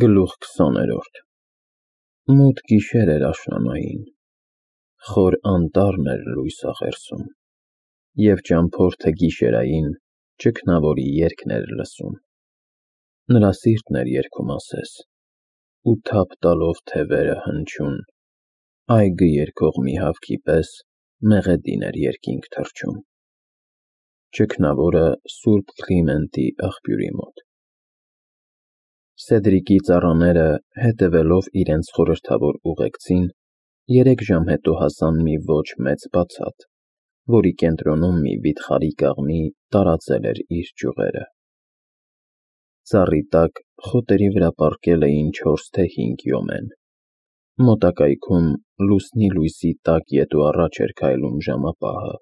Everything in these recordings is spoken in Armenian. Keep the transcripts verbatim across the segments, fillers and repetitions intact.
Գլուխ քսաներորդ Մութ գիշեր էր աշնանային, խոր անտառն էր լույս աղերսում, և ճամփորդը գիշերային ճգնավորի երգն էր լսում. նրա սիրտն էր երգում ասես, ու թափ տալով թևերը հնչյուն, այգը երգող մի հավքի պես մեղեդին էր երկինք թռչում, ճգնավորը սուրբ Կլիմենտի աղբյուրի մոտ։ Սեդրիկի ծառաները, հետևելով իրենց խորհրդավոր ուղեկցին, երեք ժամ հետո հասան մի ոչ մեծ բացատ, որի կենտրոնում մի վիթխարի կաղնի տարածել էր իր ճյուղերը։ Ծառի տակ խոտերի վրա պառկել էին չորս թե հինգ յոմեն։ Մոտակայքում լուսնի լույսի տակ ետ ու առաջ էր քայլում ժամապահը։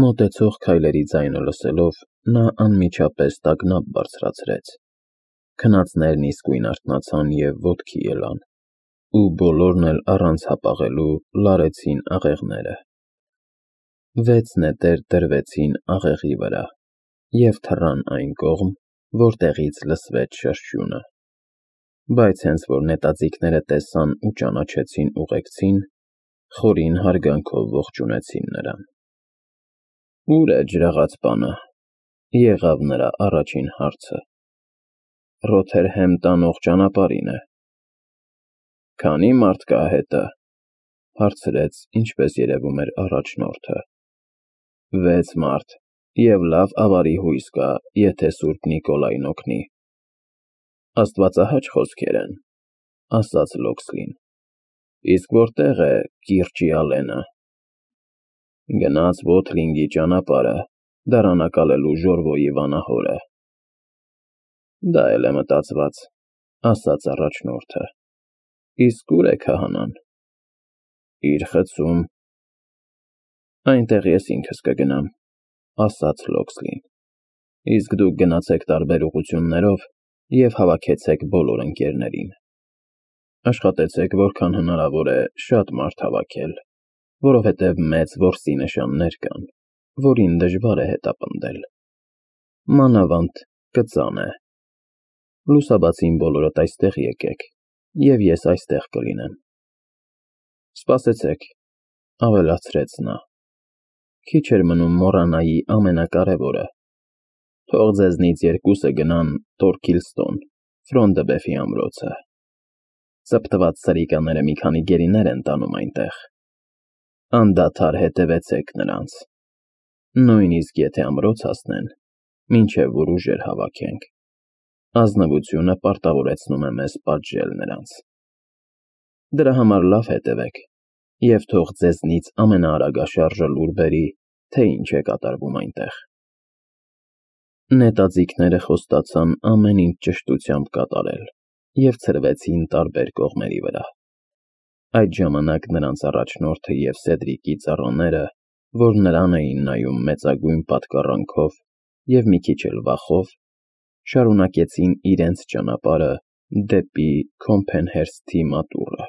Մոտեցող քայլերի ձայնը լսելով, նա անմիջապես տագնապ բարձրացրեց։ Քնածներն իսկույն արթնացան և ոտքի ելան, ու բոլորն էլ առանց հապաղելու լարեցին աղեղները։ Վեց նետեր դրվեցին աղեղի վրա և թռան այն կողմ, որտեղից լսվեց շշտյունը, բայց հենց որ նետաձիգները տեսան ու ճանաչեցին ուղեկցին, խորին հարգանքով ողջունեցին նրան։ Ո՞ւր է ջրաղացպանը, եղավ նրա առաջին հարցը։ Ռոթերհեմ տանող ճանապարհին է։ Քանի՞ մարդ կա հետը, հարցրեց, ինչպես երևում էր առաջնորդը։ Վեց մարդ, և լավ ավարի հույս կա, եթե սուրբ Նիկոլայն օգնի։ Աստվածահաճ խոսքեր են, ասաց Լոքսլին։ Իսկ որտե՞ղ է կիրճի Ալենը։ Գնաց Վոթլինգի ճանապարհը, դարանակալելու Ժորվոյի վանահորը։ Դա էլ է մտածված, ասաց առաջնորդը։ Իսկ ո՞ւր է քահանան։ Իր խցում։ Այնտեղ ես ինքս կգնամ, ասաց Լոքսլին։ Իսկ դուք գնացեք տարբեր ուղղություններով և հավաքեցեք բոլոր ընկերներին։ Աշխատեցեք որքան հնարավոր է շատ մարդ հավաքել, որովհետև մեծ որսի նշաններ կան, որին դժվար է հետապնդել։ Մանավանդ կծան է։ Լուսաբացին բոլորդ այստեղ եկեք, և ես այստեղ կլինեմ։ Սպասեցեք, ավելացրեց նա։ Քիչ էր մնում մոռանայի ամենակարևորը։ Թող ձեզնից երկուսը գնան Թորքիլստոն, Ֆրոնդեբեֆի ամրոցը։ Ծպտված սրիկաները մի քանի գերիներ են տանում այնտեղ։ Անդադար հետևեցեք նրանց։ Նույնիսկ եթե ամրոց հասնեն, մինչև որ ուժեր հավաքենք։ Ազնվությունը պարտավորեցնում է մեզ պատժել նրանց։ Դրա համար լավ հետևեք, և թող ձեզնից ամենաարագաշարժը լուր բերի, թե ինչ է կատարվում այնտեղ։ Նետաձիգները խոստացան ամեն ինչ ճշտությամբ կատարել և ցրվեցին տարբեր կողմերի վրա։ Այդ ժամանակ նրանց առաջնորդը և Սեդրիկի ծառաները, որ նրան էին նայում մեծագույն պատկառանքով և մի քիչ էլ վախով, շարունակեցին իրենց ճանապարհը դեպի Քոմփենհերսթի մատուռը։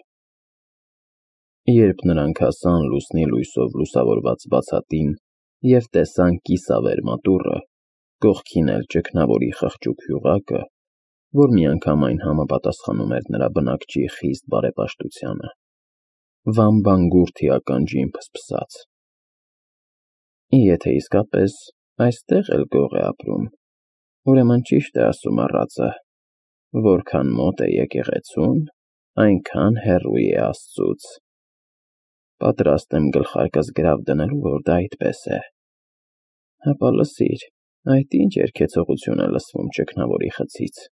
Երբ նրանք հասան լուսնի լույսով լուսավորված բացատին և տեսան կիսավեր մատուռը, կողքին էլ ճգնավորի խղճուկ հյուղակը, որ միանգամայն համապատասխանում էր նրա բնակչի խիստ բարեպաշտությանը, վամբանգուրդի ականջին փսփսաց. Եթե իսկապես այստեղ էլ գող է ապրում, ուրեմն ճիշտ է ասում առածը, որքան մոտ է եկեղեցուն, այնքան հեռու է Աստծուց։ Պատրաստ եմ գլխարկս գրավ դնելու, որ դա այդպես է։ Հապա լսիր, այդ ինչ երգեցողություն է լսվում ճգնավորի խցից։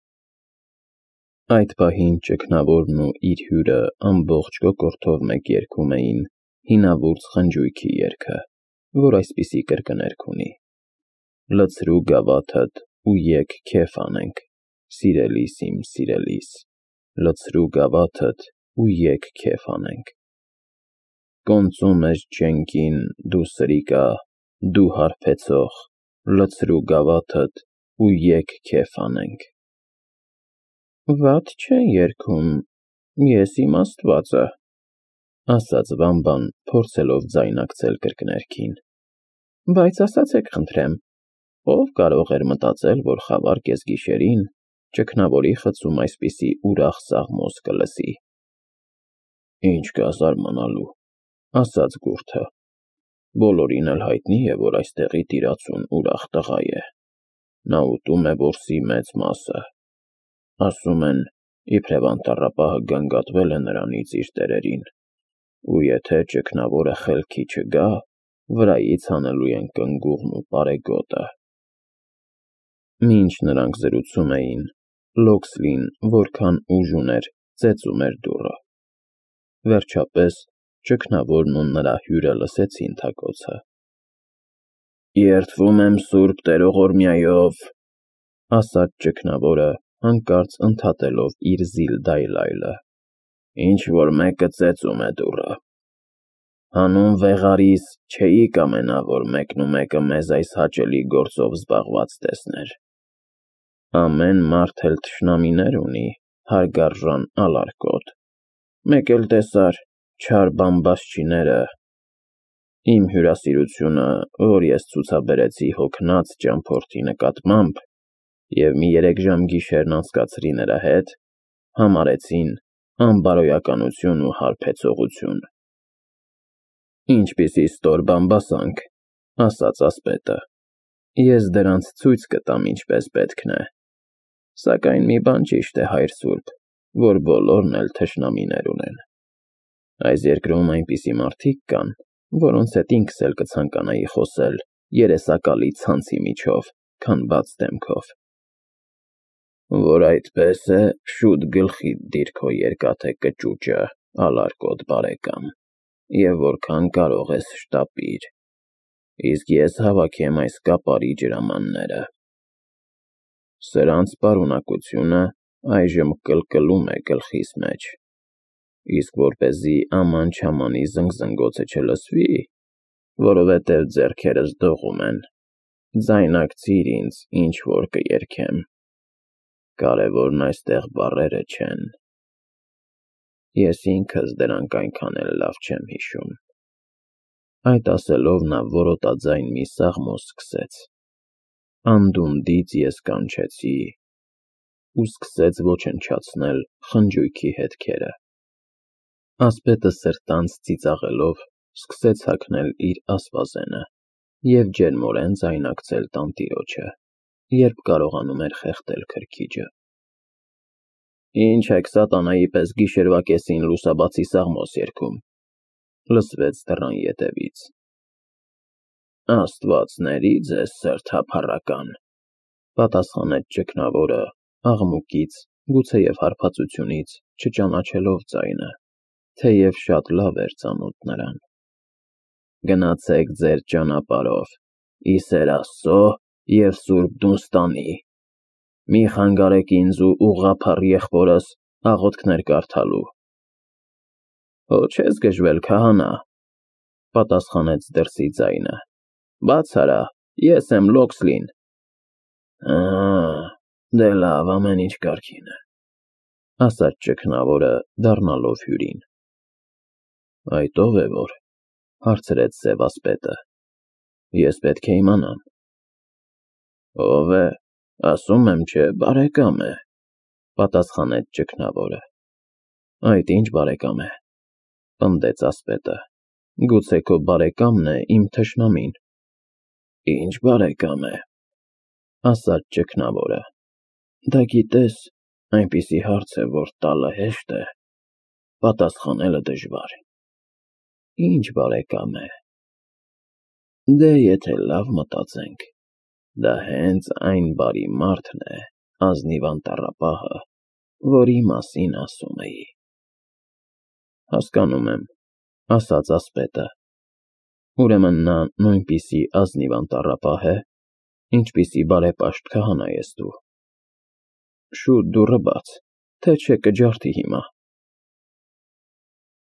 Այդ պահին ճգնավորն ու իր հյուրը ամբողջ կոկորդով մեկ երգում էին հինավուրց խնջույքի երգը, որ այսպիսի կրկներգ ունի. Լցրու գավաթդ ու եկ քեֆ անենք, սիրելիս իմ սիրելիս, լցրու գավաթդ ու եկ քեֆ անենք։ Կոնծում ես չենքին, դու սրիկա, դու հարբեցող, լցրու գավաթդ ու եկ քեֆ անենք։ Վատ չեն երգում, ես իմ Աստվածը, ասաց Վամբան, փորձելով ձայնակցել կրկներգին։ Բայց ասացեք խնդրեմ, ով կարող էր մտածել, որ խավար կեսգիշերին ճգնավորի խցում այսպիսի ուրախ սաղմոս կլսի։ Ինչ կա զարմանալու, ասաց գուրդը, բոլորին էլ հայտնի է, որ այստեղի տիրացուն ուրախ տղա է, նա ուտում է որսի մեծ մասը, ասում են, իբրև անտառապահը գանգատվել է նրանից իր տերերին, ու եթե ճգնավորը խելքի չգա, վրայից հանելու են կնգուղն ու պարեգոտը։ Մինչ նրանք զրուցում էին, Լոքսլին, որքան ուժ ուներ, ծեծում էր դուռը։ Վերջապես ճգնավորն ու նրա հյուրը լսեցին թակոցը։ Երդվում եմ Սուրբ Տերողորմյայով, ասաց ճգնավորը, հանկարծ ընդհատելով իր զիլ դայլայլը, ինչ որ մեկը ծեծում է դուռը։ Հանուն վեղարիս չէի կամենա, որ մեկն ու մեկը մեզ այս հաճելի գործով զբաղված տեսներ։ Ամեն մարդ էլ թշնամիներ ունի, հարգարժան ալարկոտ, մեկ էլ տեսար չար բամբասչիները, իմ հյուրասիրությունը, որ ես ցուցաբերեցի հոգնած ճամփորդի նկատմամբ և մի երեք ժամ գիշերն անցկացրի նրա հետ, համարեցին անբարոյականություն ու հարբեցողություն։ Ինչպիսի ստոր բամբասանք, ասաց ասպետը, ես դրանց ցույց կտամ ինչպես պետքն է, սակայն մի բան ճիշտ է, հայր սուրբ, որ բոլորն էլ թշնամիներ ունեն։ Այս երկրում այնպիսի մարդիկ կան, որոնց հետ ինքս էլ կցանկանայի խոսել երեսակալի ցանցի միջով, քան բաց դեմքով։ Որ այդպես է, շուտ գլխիդ դիր քո երկաթե կճուճը, ալարկոտ բարեկամ, և որքան կարող ես շտապիր, իսկ ես հավաքեմ այս կապարի ջրամանները։ Սրանց պարունակությունը այժմ կլկլում է գլխիս մեջ, իսկ որպեսզի աման-չամանի զնգզնգոցը չլսվի, որովհետև ձեռքերս դողում են, ձայնարկցիր ինձ, ինչ որ կերքեմ, կարևորն այստեղ բառերը չեն, ես ինքս դրանք այնքան էլ լավ չեմ հիշում։ Այդ ասելով նա որոտաձայն մի սաղմոս սկսեց. Անդունդից ես կանչեցի, ու սկսեց ոչնչացնել խնջույքի հետքերը։ Ասպետը սրտանց ծիծաղելով սկսեց հագնել իր ասպազենը և ջերմորեն ձայնակցել տանտիրոջը, երբ կարողանում էր խեղդել քրքիջը։ Ինչ եք սատանայի պես գիշերվա կեսին լուսաբացի սաղմոս երգում, լսվեց դռան ետևից։ Աստվածների ձեզ սրտափառական, պատասխանեց ճգնավորը, աղմուկից, գուցեև հարբածությունից չճանաչելով ձայնը, թեև շատ լավ էր ծանոթ նրան։ Գնացեք ձեր ճանապարհով, ի սեր Աստծո և սուրբ Դունստանի, մի խանգարեք ինձ ու ուղղափառ եղբորս աղոթքներ կարդալու։ Հո չես գժվել, քահանա, պատասխանեց դրսի ձայնը, բաց արա, ես եմ Լոքսլին։ Ահա, դե լավ, ամեն ինչ կարգին է, ասաց ճգնավորը, դառնալով հյուրին։ Այդ ո՞վ է որ, հարցրեց սև ասպետը, ես պետք է իմանամ։ Ո՞վ է, ասում եմ չէ, բարեկամ է, պատասխանեց ճգնավորը։ Այդ ինչ բարեկամ է, պնդեց ասպետը, գուցե քո բարեկամն է իմ թշնամին։ Ինչ բարեկամ է, ասաց ճգնավորը, դա գիտես, այնպիսի հարց է, որ տալը հեշտ է, պատասխանելը դժվար։ Ինչ բարեկամ է։ Դե եթե լավ մտածենք, դա հենց այն բարի մարդն է, ազնիվ անտառապահը, որի մասին ասում էի։ Հասկանում եմ, ասաց ասպետը, ուրեմն նա նույնպիսի ազնիվ անտառապահ է, ինչպիսի բարեպաշտ քահանա ես դու։ Շուտ դուռը բաց, թե չէ կջարդի հիմա։